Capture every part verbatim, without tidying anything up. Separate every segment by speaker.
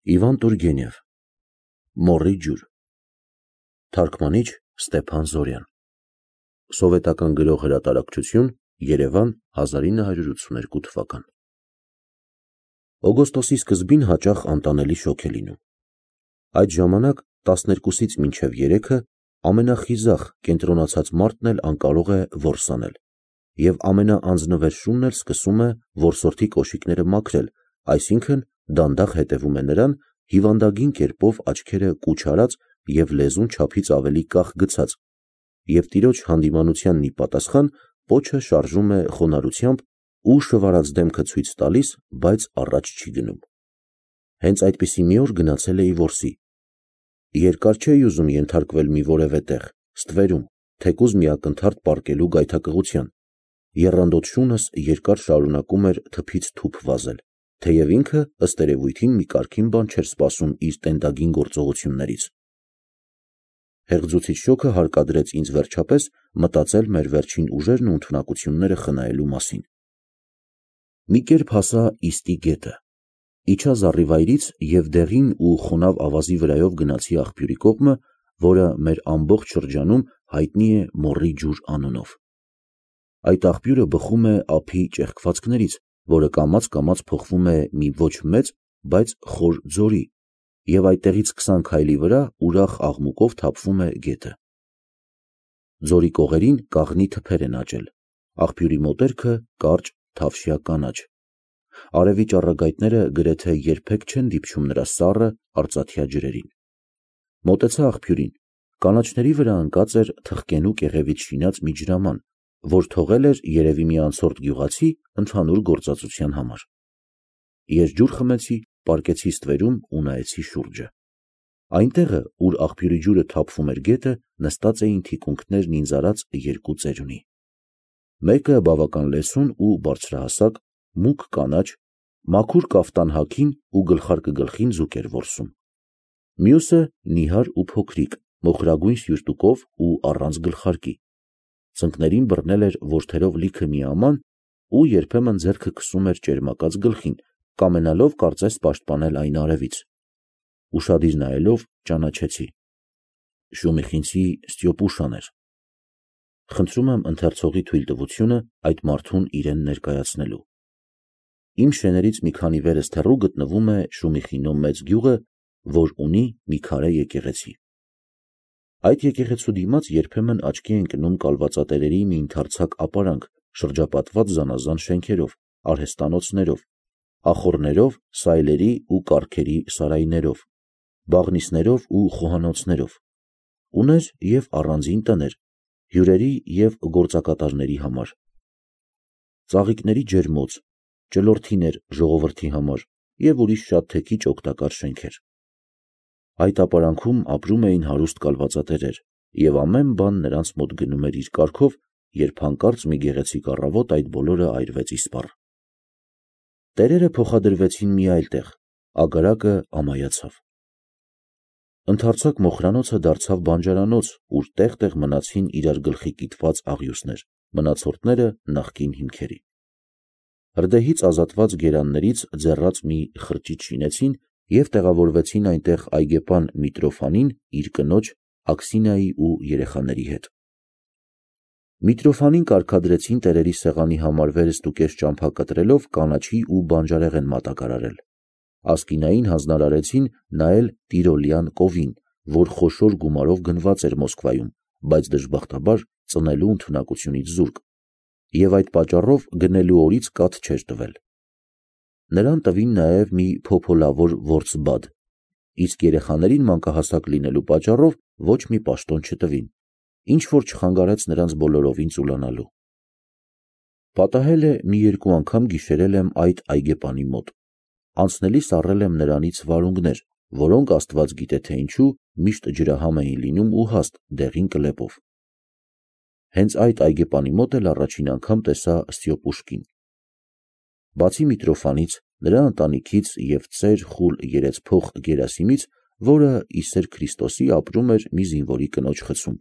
Speaker 1: Իվան Տուրգենև Մոռի ջուր Թարգմանիչ Ստեփան Զորյան Սովետական գրող հրատարակչություն Երևան հազար ինը հարյուր ութսուներկու թվական Օգոստոսի սկզբին հաճախ անտանելի շոգ է լինում։ Այդ ժամանակ տասներկուսից մինչև երեքը ամենախիզախ կենտրոնացած մարդն էլ անկարող է որս անել, և ամենաանձնվեր շունն էլ սկսում է որսորդի կոշիկները մաքրել, այսինքն դանդաղ հետևում է նրան, հիվանդագին կերպով աչքերը կուչ արած և լեզուն չափից ավելի կախ գցած, և տիրոջ հանդիմանությանն ի պատասխան պոչը շարժում է խոնարհությամբ ու շվարած դեմքը ցույց տալիս, բայց առաջ չի գնում։ Հենց այդպիսի մի օր գնացել էի որսի։ Երկար չէի ուզում ենթարկվել մի որևէ տեղ, ստվերում, թեկուզ մի ակնթարթ պառկելու գայթակղության։ Եռանդոտ շունս երկար շարունակում էր թփից թուփ վազել, թեև ինքը ըստ երևույթին մի կարգին բան չէր սպասում իր տենդագին գործողություններից։ Հեղձուցիչ շոգը հարկադրեց ինձ վերջապես մտածել մեր վերջին ուժերն ու ունթունակությունները խնայելու մասին։ Մի կերպ հասա Իստի գետը, իջա զառիվայրից և դեղին ու խոնավ ավազի վրայով գնացի աղբյուրի կողմը, որը մեր ամբողջ շրջանում հայտնի է Մոռի ջուր անունով։ Այդ աղբյուրը բխում է ափի ճեղքվածքներից, որը կամաց-կամաց փոխվում է մի ոչ մեծ, բայց խոր ձորի, և այդտեղից քսան քայլի վրա ուրախ աղմուկով թափվում է գետը։ Ձորի կողերին կաղնի թփեր են աճել, աղբյուրի մոտերքը կարճ թավշյա կանաչ։ Արևի ճառագայթները գրեթե երբեք չեն դիպչում նրա սառը արծաթյա ջրերին։ Մոտեցա աղբյուրին, կանաչների վրա ընկած էր թխկենու կեղևից շինած մի ջրաման, որ թողել էր երևի մի անցորդ գյուղացի ընդհանուր գործածության համար։ Ես ջուր խմեցի, պառկեցի ստվերում ու նայեցի շուրջը։ Այնտեղը, ուր աղբյուրի ջուրը թափվում էր գետը, նստած էին թիկունքներն ինձ արած երկու ծերունի։ Մեկը բավական լեցուն ու բարձրահասակ, մուգ կանաչ, մաքուր կաֆտան հագին ու գլխարկը գլխին ձուկ էր որսում։ Մյուսը նիհար ու փոքրիկ, մոխրագույն սյուրտուկով ու առանց գլխարկի։ Ծնկներին բռնել էր որդերով լիքը մի աման ու երբեմն ձեռքը քսում էր ճերմակած գլխին, կամենալով կարծես պաշտպանել այն արևից։ Ուշադիր նայելով ճանաչեցի. Շումիխինցի Ստյոպուշան էր։ Խնդրում եմ ընթերցողի թույլտվությունը այդ մարդուն իրեն ներկայացնելու։ Իմ շեներից մի քանի վերեստ հեռու գտնվում է Շումիխինո մեծ գյուղը, որ ունի մի քարե եկեղեցի։ Այդ եկեղեցու դիմաց երբեմն աչքի է ընկնում կալվածատերերի մի ընդարձակ ապարանք, շրջապատված զանազան շենքերով, արհեստանոցներով, ախոռներով, սայլերի ու կառքերի սարայներով, բաղնիցներով ու խոհանոցներով, ուներ և առանձին տներ, հյուրերի և գործակատարների համար, ծաղիկների ջերմոց, ճլորթիներ ժողովրդի համար և ուրիշ շատ թեքիչ օգտակար շենքեր։ Այդ ապարանքում ապրում էին հարուստ կալվածատերեր, և ամեն բան նրանց մոտ գնում էր իր կարգով, երբ հանկարծ մի գեղեցիկ առավոտ այդ բոլորը այրվեց իսպառ։ Տերերը փոխադրվեցին մի այլ տեղ, ագարակը ամայացավ։ Ընդարձակ մոխրանոցը դարձավ բանջարանոց, ուր տեղ-տեղ մնացին իրար գլխի կիտված աղյուսներ, մնացորդները նախկին հիմքերի։ Հրդեհից ազատված գերաններից ձեռած մի խրճիթ շինեցին և տեղավորվեցին այնտեղ այգեպան Միտրոֆանին իր կնոջ Աքսինիայի ու երեխաների հետ։ Միտրոֆանին կարգադրեցին տերերի սեղանի համար վերստուկես ճամփա կտրելով կանաչի ու բանջարեղեն մատակարարել։ Ասկինային հանձնարարեցին նայել տիրոլյան կովին, որ խոշոր գումարով գնված էր Մոսկվայում, բայց դժբախտաբար ծնելու ընդունակությունից զուրկ, և այդ պատճառով գնելու օրից կաթ չէր տվել։ Նրան տվին նաև մի փոփոլավոր որձ-բադ, իսկ երեխաներին մանկահասակ լինելու պատճառով ոչ մի պաշտոն չտվին, ինչ-որ չխանգարեց նրանց բոլորովին ծուլանալու։ Պատահել է մի երկու անգամ գիշերել եմ այդ այգեպանի մոտ։ Անցնելիս առել եմ նրանից վարունգներ, որոնք աստված գիտե թե ինչու միշտ ջրահամ էին լինում ու հաստ, դեղին կլեպով։ Հենց այդ այգեպանի մոտ էլ առաջին անգամ տեսա Ստյոպուշկին։ Բացի Միտրոֆանից, նրա ընտանիքից և ծեր խուլ երեցփող Գերասիմից, որը ի սեր Քրիստոսի ապրում էր մի զինվորի կնոջ խցում,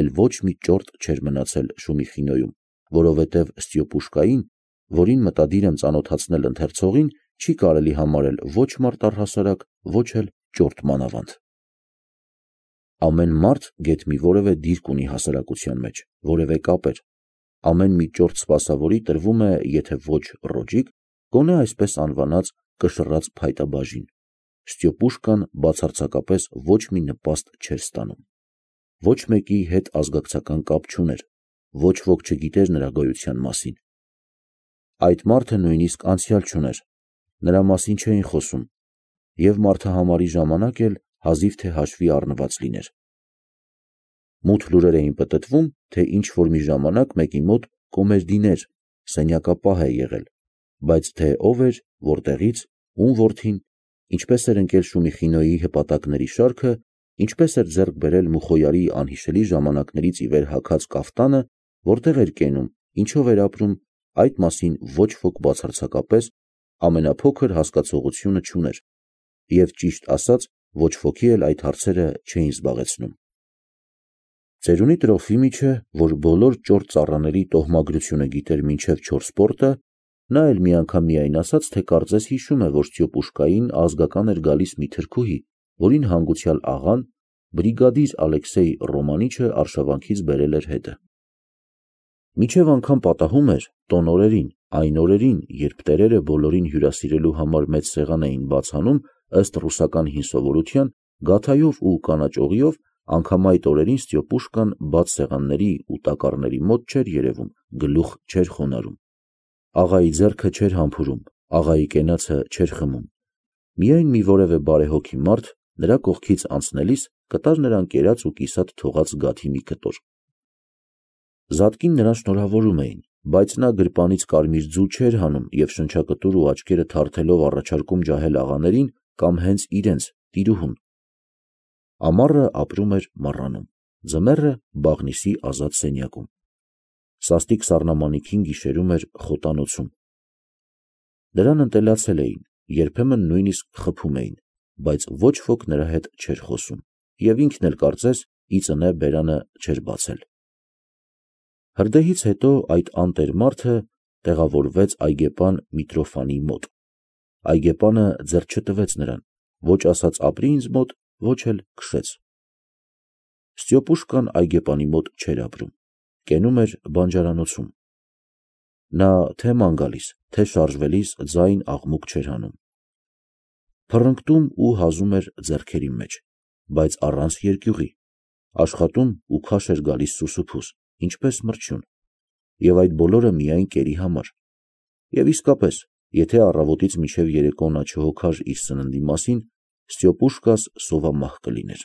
Speaker 1: էլ ոչ մի ճորտ չէր մնացել Շումիխինոյում, որովհետև Ստյոպուշկային, որին մտադիր եմ ծանոթացնել ընթերցողին, չի կարելի համարել ոչ մարդ առհասարակ, ոչ էլ ճորտ մանավանդ։ Ամեն մարդ գեթ մի որևէ դիրք ունի հասարակության մեջ, որևէ կապեր, ամեն մի ճորտ սպասավորի տրվում է, եթե ոչ ռոճիկ, գոնե այսպես անվանած կշռած փայտաբաժին։ Ստյոպուշկան բացարձակապես ոչ մի նպաստ չէր ստանում։ Ոչ մեկի հետ ազգակցական կապ չուներ, ոչ ոք չգիտեր նրա գոյության մասին։ Այդ մարդը նույնիսկ անցյալ չուներ, նրա մասին չէին խոսում, և մարդահամարի ժամանակ էլ հազիվ թե հաշվի առնված լիներ։ Մութ լուրեր էին պտտվում, թե ինչ-որ մի ժամանակ մեկի մոտ կոմերդիներ, սենյակապահ է եղել, բայց թե ով էր, որտեղից, ում որդին, ինչպես էր ընկել Շումիխինոյի հպատակների շարքը, ինչպես էր ձեռք բերել Մուխոյարի անհիշելի ժամանակներից ի վեր հագած կաֆտանը, որտեղ էր կենում, ինչով էր ապրում, այդ մասին ոչ ոք բացարձակապես ամենափոքր հասկացողությունը չուներ, և ճիշտ ասած, ոչ ոքի էլ այդ հարցերը չէին զբաղեցնում։ Ծերունի Տրոֆիմիչը, որ բոլոր ճորտ ծառաների տոհմագրությունը գիտեր մինչև չորսպորտը, նա էլ մի անգամ միայն ասաց, թե կարծես հիշում է, որ Ստյոպուշկային ազգական էր գալիս մի թրքուհի, որին հանգուցյալ աղան, բրիգադիր Ալեքսեյ Ռոմանիչը արշավանքից բերել էր հետը։ Մինչև անգամ պատահում էր տոն օրերին, այն օրերին, երբ տերերը բոլորին հյուրասիրելու համար մեծ սեղան էին բաց անում, ըստ ռուսական հին սովորության, գաթայով ու կանաճ օղիով, անգամ այդ օրերին Ստյոպուշկան բաց սեղանների ու տակառների մոտ չէր երևում, գլուխ չէր խոնարհում, աղայի ձեռքը չէր համբուրում, աղայի կենացը չէր խմում։ Միայն մի որևէ բարեհոգի մարդ նրա կողքից անցնելիս կտար նրան կերած ու կիսատ թողած գաթի մի կտոր։ Զատկին նրան շնորհավորում էին, բայց նա գրպանից կարմիր ձու չէր հանում և շնչակտուր ու աչքերը թարթելով առաջարկում ջահել աղաներին կամ հենց իրենց տիրուհուն։ Ամառը ապրում էր մառանում, ձմեռը բաղնիսի ազատ սենյակում, սաստիկ սառնամանիքին գիշերում էր խոտանոցում։ Նրան ընտելացել էին, երբեմն նույնիսկ խփում էին, բայց ոչ ոք նրա հետ չէր խոսում, և ինքն էլ կարծես ի ծնե բերանը չէր բացել։ Հրդեհից հետո այդ անտեր մարդը տեղավորվեց այգեպան Միտրոֆանի մոտ։ Այգեպանը ձեռք չտվեց նրան, ոչ ասաց ապրի ինձ մոտ, ոչ էլ քշեց։ Ստյոպուշկան այգեպանի մոտ չէր ապրում, կենում էր բանջարանոցում։ Նա թե ման գալիս, թե շարժվելիս ձայն աղմուկ չէր հանում։ Փռնկտում ու հազում էր ձեռքերի մեջ, բայց առանց երկյուղի, աշխատում ու քաշ էր գալիս սուսուփուս, ինչպես մրջյուն, և այդ բոլորը միայն կերի համար։ Եվ իսկապես, եթե առավոտից մինչև երեկո նա չհոգար իր սննդի մասին, Ստյոպուշկաս սովամահ կլիներ։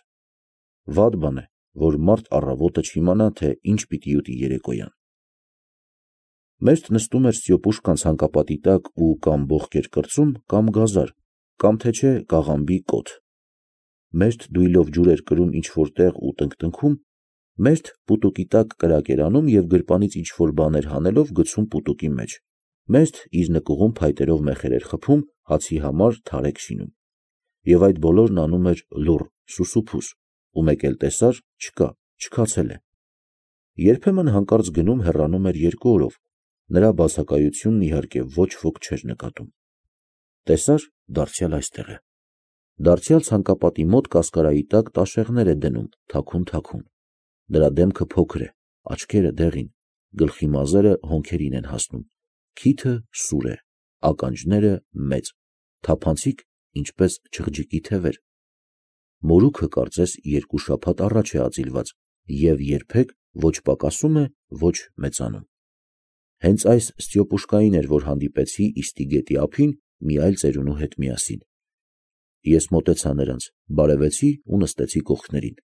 Speaker 1: Վատ բան է, որ մարդ առավոտը չիմանա, թե ինչ պիտի ուտի երեկոյան։ Մերթ նստում էր Ստյոպուշկան ցանկապատի տակ ու կամ բողոք էր կրծում, կամ գազար, կամ թե չէ կաղամբի կոթ։ Մերթ դույլով ջուր էր կրում ինչ-որ տեղ ու տնկտնքում, մերթ պուտուկի տակ կրակ էր անում և գրպանից ինչ-որ բաներ հանելով գցում պուտուկի մեջ, մերթ իր նկուղում փայտերով մեխեր էր խփում, հացի համար թարեք շինում։ Եվ այդ բոլորն անում էր լուռ, սուսուփուս, ու մեկ էլ տեսար, չկա, չքացել է։ Երբեմն հանկարծ գնում հեռանում էր երկու օրով, նրա բացակայությունն իհարկե ոչ ոք չէր նկատում։ Տեսար, դարձյալ այստեղ է։ Դարձյալ ցանկապատի մոտ կասկարայի տակ տաշեղներ է դնում, թաքուն-թաքուն։ Նրա դեմքը փոքր է, աչքերը դեղին, գլխի մազերը հոնքերին են հասնում, քիթը սուր է, ականջները մեծ, թափանցիկ, ինչպես չղջիկի թևեր։ Մորուքը կարծես երկու շաբաթ առաջ է ածիլված և երբեք ոչ պակասում է, ոչ մեծանում։ Հենց այս Ստյոպուշկային էր, որ հանդիպեցի Իստի գետի ափին մի այլ ծերունու հետ միասին։ Ես մոտեցա նրանց, բարևեցի ու նստեցի կողքներին։